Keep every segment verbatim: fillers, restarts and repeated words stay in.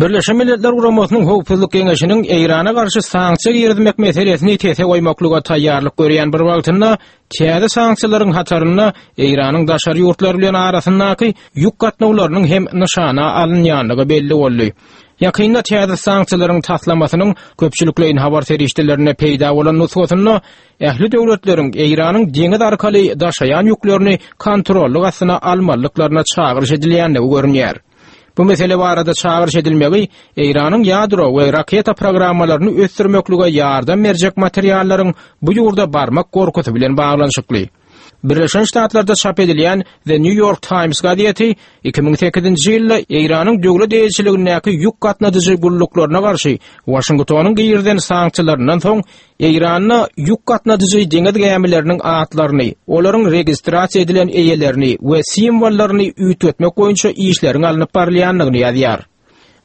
Birleşen Milletler Guramasynyň Howpsuzlyk Geňeşiniň Eýrana garşy sanksiýa girizmek meselesini sese goýmaklyga taýýarlyk görýän bir wagtynda täze sanksiýalaryň hatarynda Eýranyň daşary ýurtlar bilen arasyndaky ýük gatnawlarynyň hem nyşana alynýandygy belli boldy. Ýakynda täze sanksiýalaryň taslamasynyň köpçülikleýin habar serişdelerinde peýda bolan nusgasynda ähli döwletleriň Eýranyň deňiz arkaly daşaýan ýüklerini kontrollyk astyna almalyklaryna çagyryş edilýändigi görünýär. Bu mesele barada çagyryş edilmegi Eýranyň ýadro we raketa programmalaryny ösdürmeklige ýardam berjek materiallaryň bu ýurda barmak gorkusy bilen baglanyşykly. Birleşen Ştatlarda çap edilýän The New York Times gazeti iki müň sekizinji ýylda Eýranyň döwlet eýeçiligindäki ýük gatnadyjy gulluklaryna garşy Waşingtonyň girizen sanksiýalaryndan soň Eýranda ýük gatnadyjy deňiz gämileriniň atlaryny, olaryň registrasiýa edilen eýelerini we simwollaryny üýtgetmek boýunça işleriň alnyp barylýandygyny ýazýar.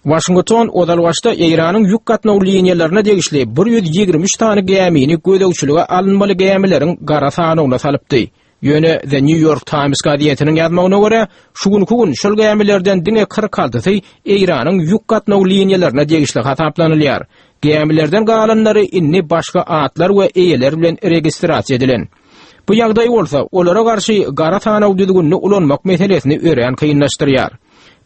Waşington ozal başda Eýranyň ýük gatnaw liniýalaryna degişli bir ýüz ýigrimi üç sany gämini gözegçilige alynmaly gämileriň gara sanawyna salypdy. Ýöne The New York Times gazetiniň ýazmagyna görä, şu günki gün şol gämilerden diňe kyrk altysy Eýranyň ýük gatnaw liniýalaryna degişli hasaplanylýar. Gämilerden galanlary indi başga atlar we eýeler bilen registrasiýa edilen. Bu ýagdaý bolsa olara garşy gara sanaw düzgünini ulanmak meselesini örän kynlaşdyrýar.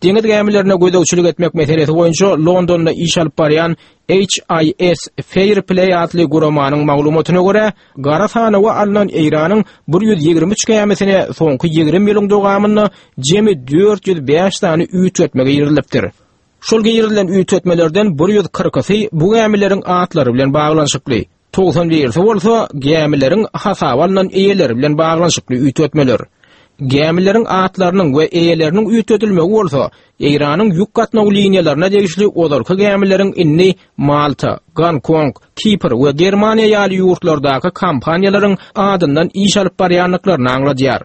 Deňiz gämilerine gözegçilik etmek meselesi boýunça Londonda iş alyp barýan H I S Fair Play atly guramanyň maglumatyna görä, gara sanawa alnan Eýranyň bir ýüz ýigrimi üç gämisine soňky ýigrimi ýylyň dowamynda jemi dört ýüz bäş sany üýtgetme girizilipdir. Şol girizilen üýtgetmelerden bir ýüz kyrkysy bu gämileriň atlary bilen baglanyşykly, togsan birisi bolsa gämileriň hasaba alnan eýeleri bilen baglanyşykly üýtgetmeler. Gämileriň atlarynyň we eýeleriniň üýtgedilmegi bolsa Eýranyň ýük gatnaw liniýalaryna degişli ozalky gämileriň indi Malta, Gonkong, Kipr we Germaniýa ýaly ýurtlardaky kompaniýalaryň adyndan iş alyp barýandyklaryny aňladýar.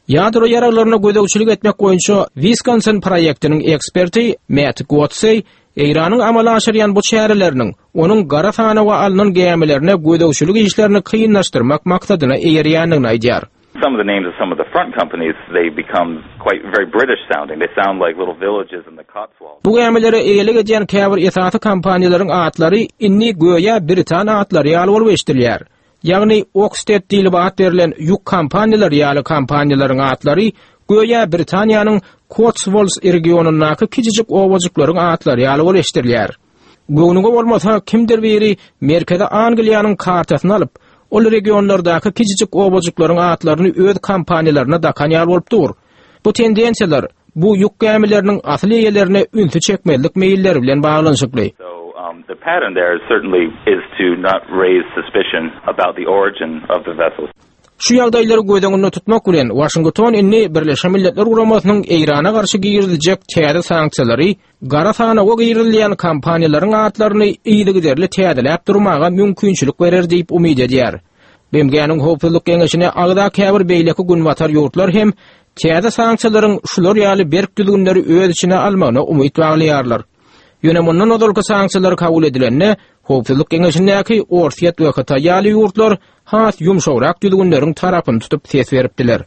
Ýadro ýaraglaryna gözegçilik etmek boýunça Wisconsin proýektiniň eksperti Matt Godsey Eýranyň amala aşyrýan bu çäreleriniň onuň gara sanawa alnan gämilerine gözegçilik işlerini kynlaşdyrmak maksadyna eýerýändigini aýdýar. Some of the names of some of the front companies, they become quite very British sounding. They sound like little villages in the Cotswolds. Bu gämilere eýelik edýän käbir esasy kompaniýalaryň atlary indi göýä Britan atlary ýaly bolup eşidilýär. Ýagny Oxted diýlip at berlen ýük kompaniýalary ýaly kompaniýalaryň atlary göýä Britaniýanyň Cotswolds regionyndaky kiçijik owajyklaryň atlary ýaly bolup eşidilýär. Göwnüňe bolmasa kimdir biri Merkezi Angliýanyň kartasyny alyp, ol regionlardaky kiçijik owajyklaryň atlaryny öz kompaniýalaryna dakan ýaly bolup dur. Bu tendensiýalar bu ýük gämileriniň asyl eýelerine ünsi çekmezlik meýilleri bilen baglanyşykly. So, um, the pattern there is certainly is to not raise suspicion about the origin of the vessels. Şu ýagdaýlary göz öňünde tutmak bilen Washington indi Birleşen Milletler Guramasynyň Eýrana garşy giriziljek täze sanksiýalary gara sanawa girizilýän kompaniýalaryň atlaryny yzygiderli täzeläp durmaga mümkinçilik berer diýip umyt edýär. B M G-niň Howpsuzlyk Geňeşine agza käbir beýleki günbatar ýurtlar hem täze sanksiýalaryň şular ýaly berk düzgünleri öz içine almagyna umyt baglaýarlar. Ýöne mundan ozalky sanksiýalar kabul edilende Howpsuzlyk Geňeşindäki Orsýet we Hytaý ýaly ýurtlar has ýumşagrak düzgünleriň tarapyny tutup ses beripdiler.